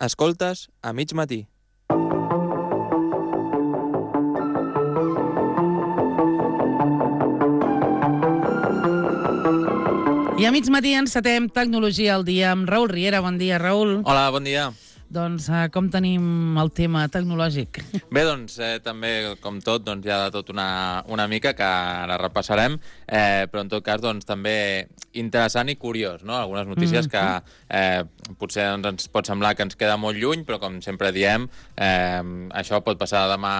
Escoltes a mig matí. I a mig matí encetem Tecnologia al dia amb Raül Riera. Bon dia, Raül. Hola, bon dia. Doncs com tenim el tema tecnològic? Bé, doncs, també, com tot, doncs, hi ha de tot una mica que ara repassarem, però en tot cas, doncs, també interessant i curiós, no? Algunes notícies que potser doncs, ens pot semblar que ens queda molt lluny, però com sempre diem, això pot passar demà,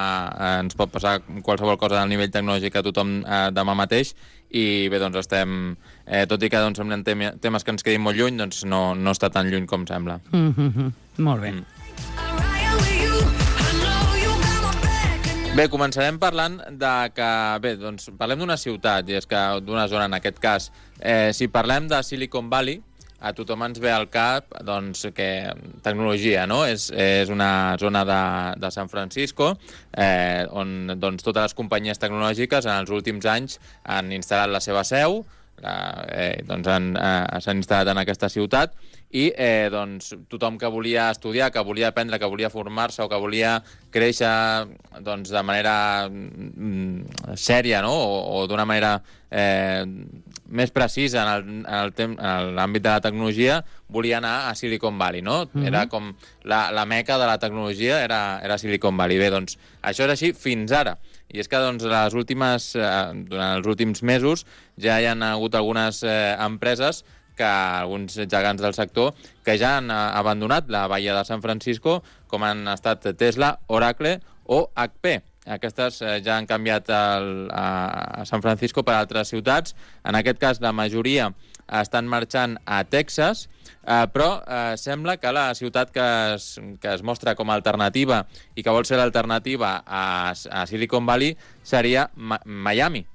ens pot passar qualsevol cosa al nivell tecnològic a tothom demà mateix, i bé, doncs estem, tot i que doncs, semblen temes que ens quedin molt lluny, doncs no està tan lluny com sembla. Molt bé. Bé, començarem parlant de que... Bé, doncs parlem d'una ciutat, i és que d'una zona, en aquest cas. Si parlem de Silicon Valley, a tothom ens ve al cap, doncs, que tecnologia, no? És una zona de San Francisco, on doncs, totes les companyies tecnològiques en els últims anys han instal·lat la seva seu, doncs s'han instal·lat en aquesta ciutat, i doncs, tothom que volia estudiar, que volia aprendre, que volia formar-se o que volia créixer doncs, de manera sèria, no? o d'una manera més precisa en l'àmbit de la tecnologia, volia anar a Silicon Valley, no? Era com la meca de la tecnologia, era Silicon Valley. Bé, doncs, això és així fins ara. I és que doncs, durant els últims mesos ja hi ha hagut algunes empreses, alguns gegants del sector, que ja han abandonat la bahia de San Francisco, com han estat Tesla, Oracle o HP. Aquestes ja han canviat a San Francisco per altres ciutats. En aquest cas, la majoria estan marxant a Texas, però sembla que la ciutat que es mostra com a alternativa i que vol ser l'alternativa a Silicon Valley seria Miami.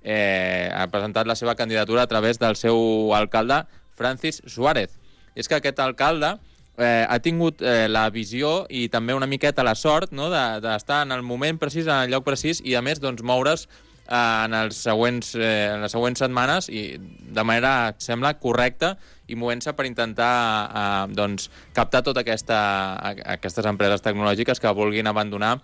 Ha presentat la seva candidatura a través del seu alcalde, Francis Suárez. És que aquest alcalde ha tingut la visió i també una miqueta la sort, no?, d'estar en el moment precís, en el lloc precís, i a més doncs, moure's en les següents setmanes i de manera, sembla, correcta, i movent-se per intentar doncs, captar totes aquestes empreses tecnològiques que vulguin abandonar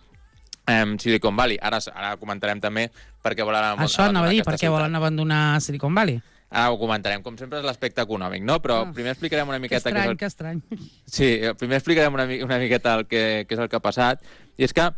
Silicon Valley. Ara comentarem també per què volen abandonar això anava a dir, per què ciutat. volen abandonar Silicon Valley. Ara ho comentarem. Com sempre és l'aspecte econòmic, no? Però primer explicarem una miqueta... Que estrany. Sí, primer explicarem una miqueta què és el que ha passat. I és que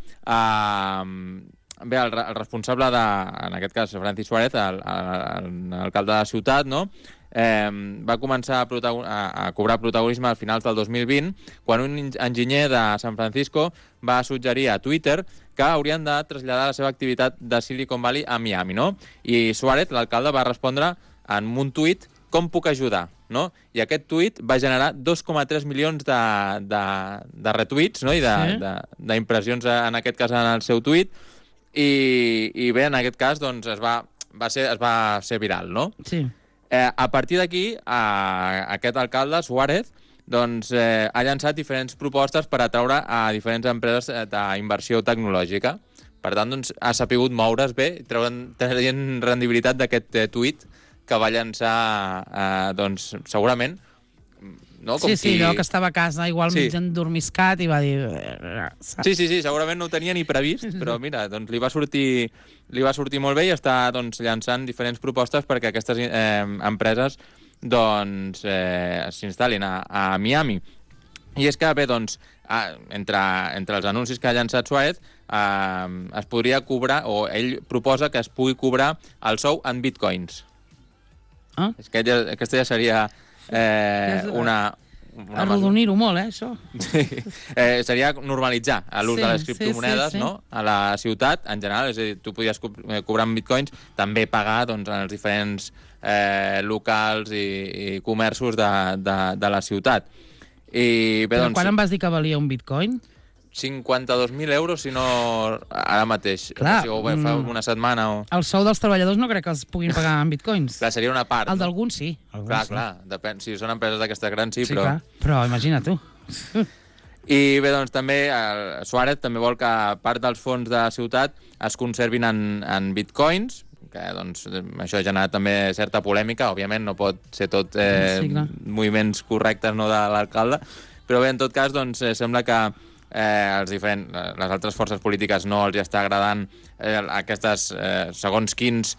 bé, el responsable en aquest cas, Francis Suárez, l'alcalde de la ciutat, no?, va començar a cobrar protagonisme al finals del 2020, quan un enginyer de San Francisco va suggerir a Twitter que haurien de traslladar la seva activitat de Silicon Valley a Miami, no? I Suárez, l'alcalde, va respondre en un tuit: com puc ajudar? No? I aquest tuit va generar 2,3 milions de retuits, no?, i d'impressions, en aquest cas, en el seu tuit, i bé, en aquest cas, doncs, es va ser viral, no? Sí. A partir d'aquí, aquest alcalde, Suárez, doncs, ha llançat diferents propostes per atraure a diferents empreses d'inversió tecnològica. Per tant, doncs, ha sapigut moure's bé, traient rendibilitat d'aquest tuit que va llançar, doncs, segurament... No? Com sí, allò que estava a casa, igual mig endormiscat, i va dir... Sí, segurament no ho tenia ni previst, però mira, doncs li va sortir molt bé, i està doncs, llançant diferents propostes perquè aquestes empreses doncs, s'instal·lin a Miami. I és que, bé, doncs, entre els anuncis que ha llançat Suárez, es podria cobrar, o ell proposa que es pugui cobrar el sou en bitcoins. És que aquesta ja seria arrodonir-ho molt, això. Sí. Seria normalitzar l'ús de les criptomonedes, no?, a la ciutat, en general. És a dir, tu podies cobrar en bitcoins, també pagar doncs, en els diferents locals i comerços de la ciutat. Però quan em vas dir que valia un bitcoin? 52.000 euros, si no ara mateix. Clar, o sigui, fa una setmana o... El sou dels treballadors no crec que els puguin pagar en bitcoins. Clar, seria una part. El d'alguns sí. Clar, depèn. Si són empreses d'aquestes grans, sí, sí, però... Clar. Però imagina tu. I bé, doncs també Suárez també vol que part dels fons de la ciutat es conservin en bitcoins, que doncs, això ha generat també certa polèmica. Òbviament no pot ser tot moviments correctes, no, de l'alcalde, Però bé, en tot cas, doncs, sembla que les altres forces polítiques no els està agradant aquestes, segons quines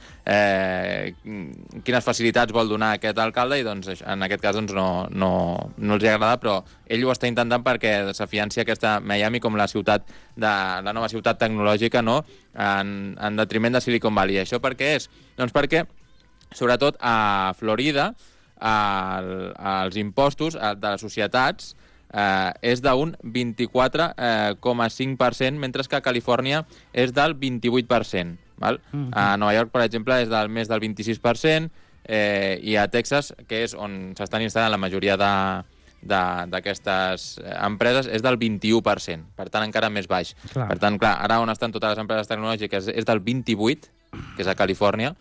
facilitats vol donar aquest alcalde, i doncs, en aquest cas doncs, no els agrada, però ell ho està intentant perquè s'afianci aquesta Miami com la nova ciutat tecnològica, no? en detriment de Silicon Valley. Això per què és? Doncs perquè, sobretot a Florida, els impostos de les societats és d'un 24,5%, mentre que a Califòrnia és del 28%. Val? A Nova York, per exemple, és més del 26%, i a Texas, que és on s'estan instal·lant la majoria d'aquestes empreses, és del 21%, per tant encara més baix. Clar. Per tant, clar, ara on estan totes les empreses tecnològiques és del 28%, que és a Califòrnia,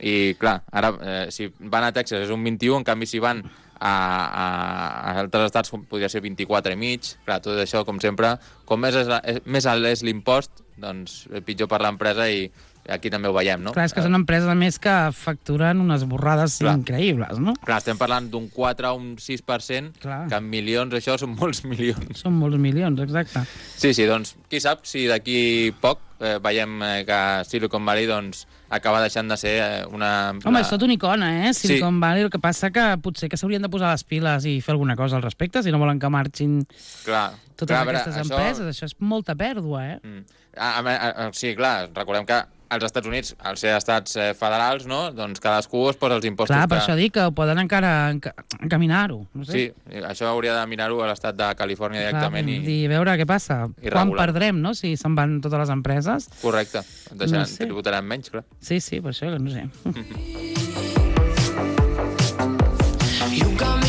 i clar, ara si van a Texas és un 21%, en canvi si van a altres estats podria ser 24,5%. Clar, tot això, com sempre, com més alt és l'impost, doncs pitjor per l'empresa, i aquí també ho veiem, no? Clar, és que són empreses, a més, que facturen unes borrades increïbles, no? Clar, estem parlant d'un 4 o un 6%, que en milions això són molts milions. Són molts milions, exacte. Sí, doncs, qui sap si d'aquí poc veiem que Silicon Valley doncs, acaba deixant de ser una... Home, és tot una icona, Silicon Valley. El que passa que potser que s'haurien de posar les piles i fer alguna cosa al respecte, si no volen que marxin totes aquestes empreses. Això és molta pèrdua, Sí, clar, recordem que als Estats Units, al ser estats federals, no? Doncs cadascú es posa els impostos. Clar, per això dic que poden encara encaminar-ho. No sé. Sí, això hauria de mirar-ho a l'estat de Califòrnia directament. I veure què passa. Quan perdrem, no?, si se'n van totes les empreses. Correcte. Tributarem menys, clar. Sí, per això que no sé.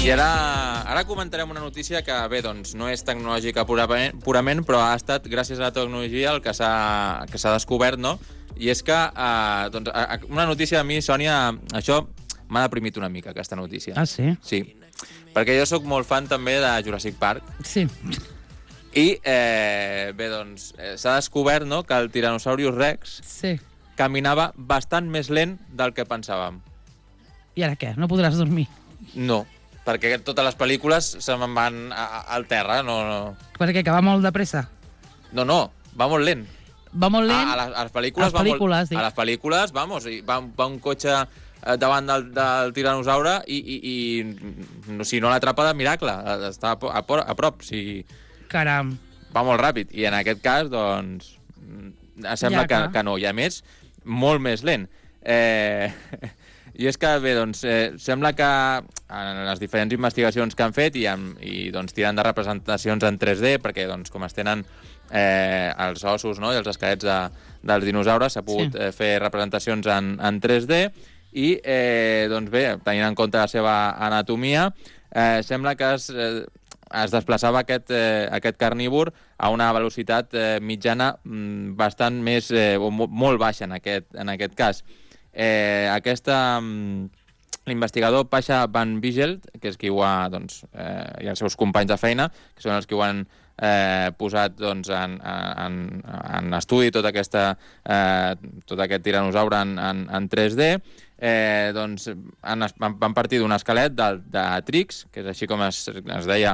I ara comentarem una notícia que, bé, doncs no és tecnològica purament, però ha estat, gràcies a la tecnologia, el que s'ha descobert, no? I és que, doncs, una notícia a mi, Sònia, això m'ha deprimit una mica, aquesta notícia. Ah, sí? Sí, perquè jo sóc molt fan també de Jurassic Park. Sí. I, bé, doncs, s'ha descobert, no?, que el Tyrannosaurus Rex caminava bastant més lent del que pensàvem. I ara què? No podràs dormir? No, perquè totes les pel·lícules se me'n van al terra, no... Per què, que va molt de pressa? No, va molt lent. Va molt lent? A les pel·lícules va molt... A les pel·lícules, vamos, va un cotxe davant del tiranosaure i si no l'atrapa, de miracle, està a prop. Caram. Va molt ràpid. I en aquest cas, doncs, sembla que no. I a més, molt més lent. I és que, bé, doncs, sembla que en les diferents investigacions que han fet i doncs, tiren de representacions en 3D, perquè, doncs, com es tenen els ossos, no?, i els esquelets dels dinosaures, s'ha pogut fer representacions en 3D, i, doncs bé, tenint en compte la seva anatomia, sembla que es desplaçava aquest carnívor a una velocitat mitjana bastant més, o molt baixa en aquest cas. L'investigador Pasha Van Vigelt, que és qui ho ha, doncs, i els seus companys de feina, que són els que ho han posat, doncs, en estudi tot aquest tiranosaure en 3D, doncs van partir d'un esquelet de Trix, que és així com es deia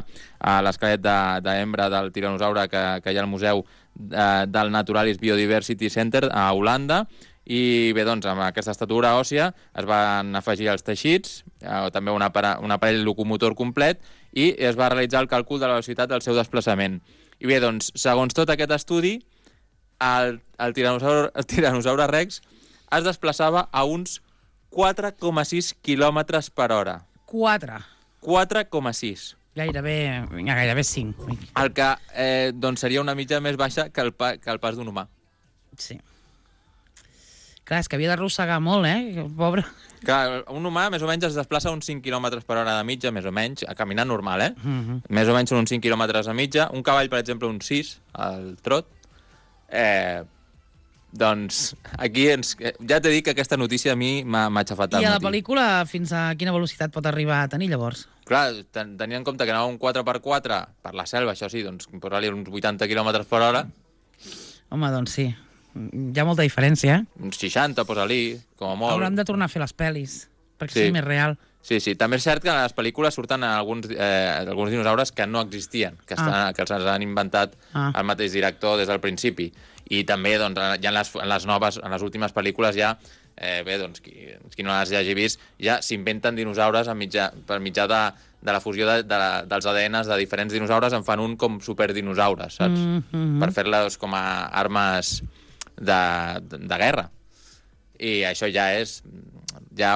l'esquelet d'hembra del tiranosaure que hi ha al Museu del Naturalis Biodiversity Center a Holanda. I bé, doncs, amb aquesta estatura òssia es van afegir els teixits, també un aparell locomotor complet, i es va realitzar el càlcul de la velocitat del seu desplaçament. I bé, doncs, segons tot aquest estudi, el tiranosaure Rex es desplaçava a uns 4,6 quilòmetres per hora. 4,6. Gairebé 5. El que doncs, seria una mitja més baixa que el pas d'un humà. Sí. Clar, és que havia d'arrossegar molt, pobre. Clar, un humà més o menys es desplaça uns 5 km per hora de mitja, més o menys, a caminar normal, Més o menys són uns 5 km a mitja. Un cavall, per exemple, uns 6, al trot. Doncs aquí ja t'he dit que aquesta notícia a mi m'ha aixafat al matí. I a la pel·lícula fins a quina velocitat pot arribar a tenir, llavors? Clar, tenint en compte que anava un 4x4 per la selva, això sí, doncs posar-li uns 80 km per hora. Home, doncs sí. Hi ha molta diferència, Uns 60, posa-li, com a molt. Haurem de tornar a fer les pel·lis, perquè sigui més real. Sí, també és cert que en les pel·lícules surten alguns dinosaures que no existien, que els han inventat el mateix director des del principi. I també, doncs, ja en les últimes pel·lícules ja, qui no les hagi vist, ja s'inventen dinosaures per mitjà de la fusió dels ADNs de diferents dinosaures, en fan un com superdinosaures, saps? Per fer-les com a armes de guerra. I això ja és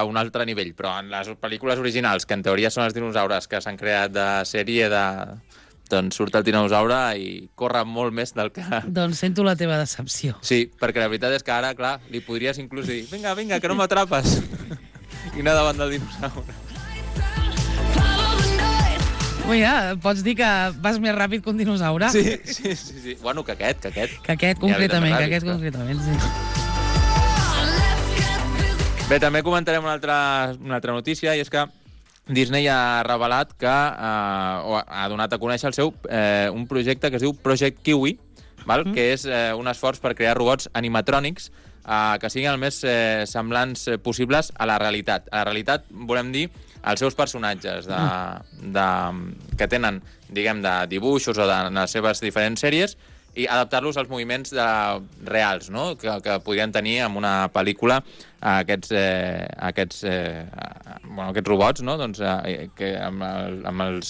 un altre nivell, però en les pel·lícules originals, que en teoria són els dinosaures que s'han creat de sèrie, doncs surt el dinosaure i corre molt més del que... Doncs sento la teva decepció. Sí, perquè la veritat és que ara, clar, li podries inclús dir vinga, que no m'atrapes, i anar davant del dinosaure. Mira, pots dir que vas més ràpid que un dinosaure? Sí. Bueno, que aquest. Que aquest concretament, sí. Bé, també comentarem una altra notícia, i és que Disney ha revelat que ha donat a conèixer un projecte que es diu Project Kiwi, que és un esforç per crear robots animatrònics que siguin el més semblants possibles a la realitat. A la realitat volem dir els seus personatges que tenen, diguem, de dibuixos o de les seves diferents sèries, i adaptar-los als moviments reals, no? que podrien tenir en una pel·lícula aquests robots, no? Doncs, amb el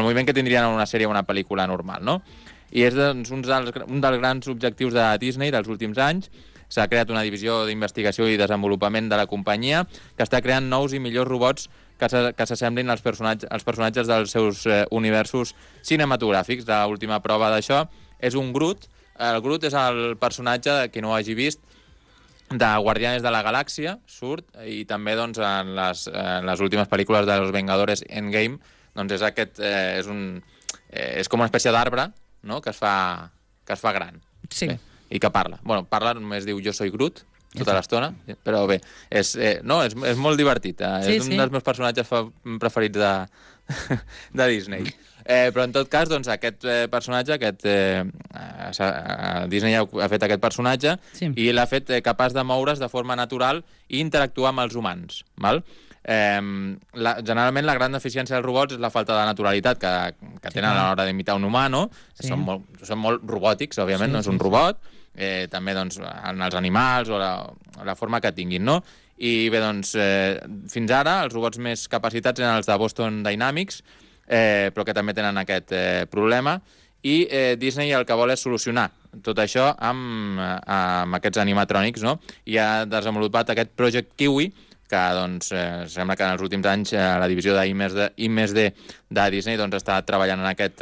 moviment que tindrien en una sèrie o una pel·lícula normal. No? I és un dels grans objectius de Disney dels últims anys. S'ha creat una divisió d'investigació i desenvolupament de la companyia que està creant nous i millors robots que s'assemblin als personatges dels seus universos cinematogràfics. L'última prova d'això és un Groot. El Groot és el personatge, qui no ho hagi vist, de Guardianes de la Galàxia, surt, i també doncs, en les últimes pel·lícules de Los Vengadores Endgame, doncs és com una espècie d'arbre, no?, que es fa gran. Sí. Bé, i que parla. Bueno, parla, només diu jo soy Groot, tota l'estona, però bé, és molt divertit. És un dels meus personatges preferits de Disney. Però en tot cas, doncs, aquest personatge, Disney ha fet aquest personatge i l'ha fet capaç de moure's de forma natural i interactuar amb els humans. Val? Generalment la gran deficiència dels robots és la falta de naturalitat que tenen a l'hora d'imitar un humà, no? Són molt robòtics, òbviament, no és un robot, també doncs, en els animals o la forma que tinguin, no? I bé, doncs, fins ara els robots més capacitats eren els de Boston Dynamics, però que també tenen aquest problema, i Disney el que vol és solucionar tot això amb aquests animatrònics, no? I ha desenvolupat aquest Project Kiwi, que doncs, sembla que en els últims anys la divisió d'I+D de Disney doncs, està treballant en aquest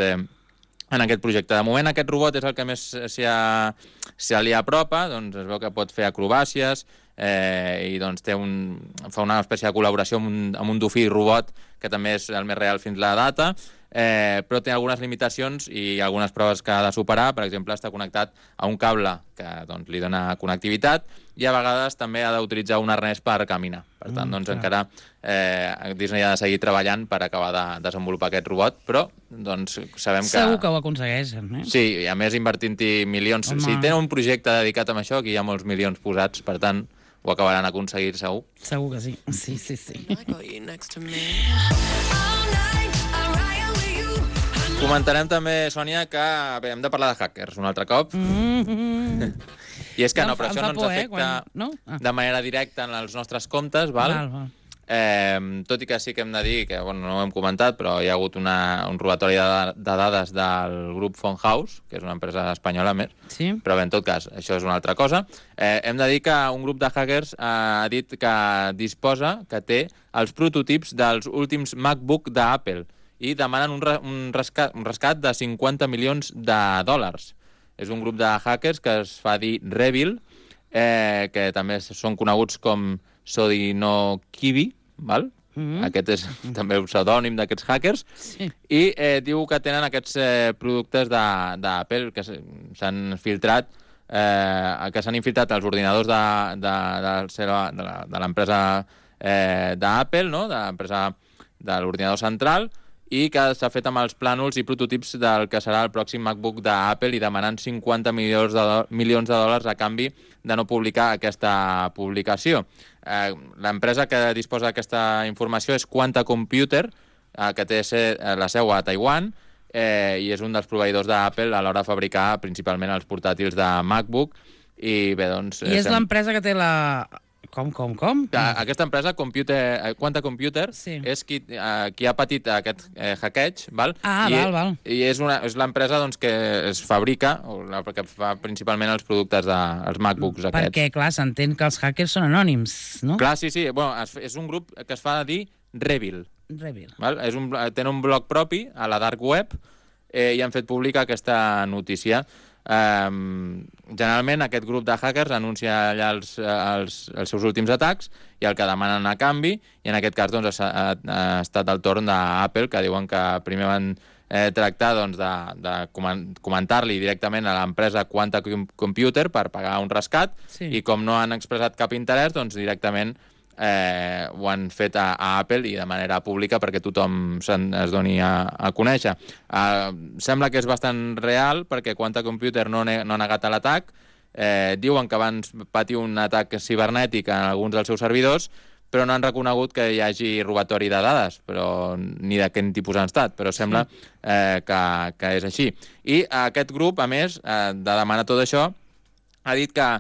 projecte. De moment aquest robot és el que més se li apropa, doncs es veu que pot fer acrobàcies i doncs fa una espècie de col·laboració amb un dofí robot que també és el més real fins la data, però té algunes limitacions i algunes proves que ha de superar. Per exemple, està connectat a un cable que doncs, li dona connectivitat i a vegades també ha d'utilitzar un arnès per caminar. Per tant, doncs, encara Disney ha de seguir treballant per acabar de desenvolupar aquest robot, però doncs, sabem que... Segur que ho aconsegueixen, eh? Sí, i a més invertint-hi milions. Home. Si tenen un projecte dedicat a això, aquí hi ha molts milions posats, per tant, ho acabaran aconseguir segur. Segur que sí. Sí. Comentarem també, Sònia, que hem de parlar de hackers un altre cop. I és que no, però això no ens afecta de manera directa en els nostres comptes, val? Tot i que sí que hem de dir, que no ho hem comentat, però hi ha hagut un robatori de dades del grup Funhouse, que és una empresa espanyola més, però bé, en tot cas, això és una altra cosa. Hem de dir que un grup de hackers ha dit que té els prototips dels últims MacBook d'Apple i demanen un rescat de 50 milions de dòlars. És un grup de hackers que es fa dir Revil, que també són coneguts com Sodinokibi, val? Aquest és també un pseudònim d'aquests hackers, i diu que tenen aquests productes d'Apple que s'han filtrat, que s'han infiltrat als ordinadors de l'empresa d'Apple, no? De l'empresa de l'ordinador central, i que s'ha fet amb els plànols i prototips del que serà el pròxim MacBook d'Apple i demanant 50 milions de dòlars a canvi de no publicar aquesta publicació. L'empresa que disposa d'aquesta informació és Quanta Computer, que té la seu a Taiwan, i és un dels proveïdors d'Apple a l'hora de fabricar principalment els portàtils de MacBook. I bé, doncs... I és l'empresa que té la... Com? Aquesta empresa, Quanta Computer, és qui ha patit aquest hackeig, val? Val. I és l'empresa que es fabrica, que fa principalment els productes dels MacBooks aquests. Perquè, clar, s'entén que els hackers són anònims, no? Clar, sí. Bueno, és un grup que es fa dir Revil. Val? Tenen un blog propi a la dark web i han fet pública aquesta notícia. Generalment aquest grup de hackers anuncia allà els seus últims atacs i el que demanen a canvi, i en aquest cas doncs, ha estat el torn d'Apple, que diuen que primer van tractar de comentar-li directament a l'empresa Quanta Computer per pagar un rescat, i com no han expressat cap interès, doncs directament ho han fet a Apple i de manera pública perquè tothom es doni a conèixer. Sembla que és bastant real perquè Quanta Computer no ha negat l'atac. Diuen que van patir un atac cibernètic en alguns dels seus servidors, però no han reconegut que hi hagi robatori de dades, ni de quin tipus han estat, però sembla que és així. I aquest grup, a més de demanar tot això, ha dit que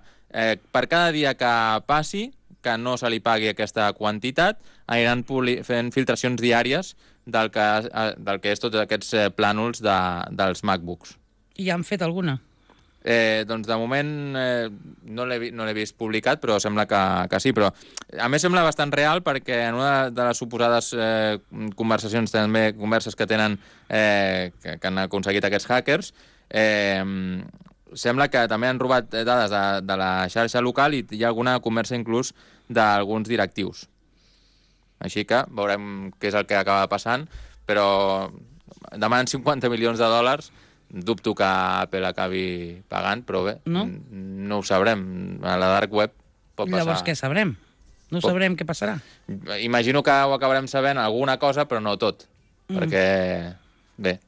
per cada dia que passi que no se li pagui aquesta quantitat, aniran fent filtracions diàries del que és tots aquests plànols dels MacBooks. I han fet alguna? Doncs de moment no l'he vist publicat, però sembla que sí. Però a més sembla bastant real perquè en una de les suposades converses que tenen que han aconseguit aquests hackers, sembla que també han robat dades de la xarxa local i hi ha alguna conversa inclús d'alguns directius. Així que veurem què és el que acaba passant, però demanen 50 milions de dòlars, dubto que Apple acabi pagant, però bé, no ho sabrem. A la dark web pot passar. Llavors què sabrem? No sabrem què passarà? Imagino que ho acabarem sabent alguna cosa, però no tot, perquè, bé,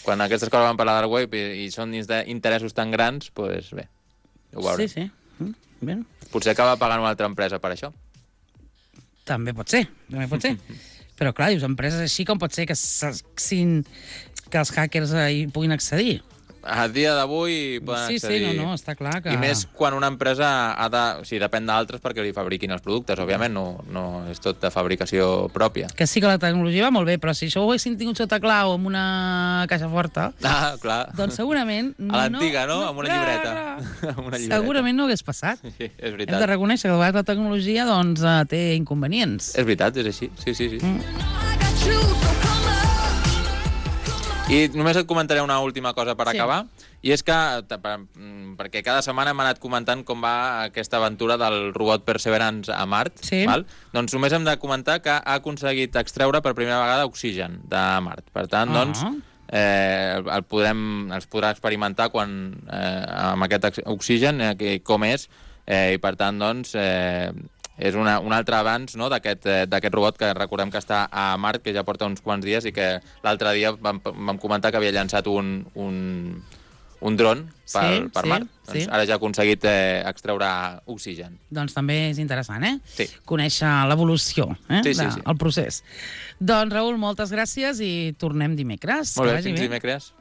quan aquestes coses van per la dark web i són dins d'interessos tan grans, doncs bé, ho veurem. Sí. Bé. Potser acaba pagant una altra empresa per això. També pot ser. Però clar, dius, empreses així com pot ser que els hackers hi puguin accedir. A dia d'avui poden accedir. Sí, està clar que... I més quan una empresa depèn d'altres perquè li fabriquin els productes. Òbviament no és tot de fabricació pròpia. Que sí que la tecnologia va molt bé, però si això ho haguessin tingut sota clau amb una caixa forta, clar. Doncs segurament... A l'antiga, no? Amb una llibreta. Segurament no hagués passat. Sí, és veritat. Hem de reconèixer que a vegades la tecnologia té inconvenients. És veritat, és així. Sí. I només et comentaré una última cosa per acabar, i és que, perquè cada setmana hem anat comentant com va aquesta aventura del robot Perseverance a Mart, val? Doncs només hem de comentar que ha aconseguit extreure per primera vegada oxigen de Mart. Per tant, doncs, els podrà experimentar amb aquest oxigen, com és, i per tant, doncs, és un altre avanç, no, d'aquest robot que recordem que està a Mart, que ja porta uns quants dies i que l'altre dia vam comentar que havia llançat un dron per Mart. Doncs ara ja ha aconseguit extreure oxigen. Doncs també és interessant, Sí. Conèixer l'evolució del procés. Doncs, Raül, moltes gràcies i tornem dimecres. Molt bé, fins dimecres.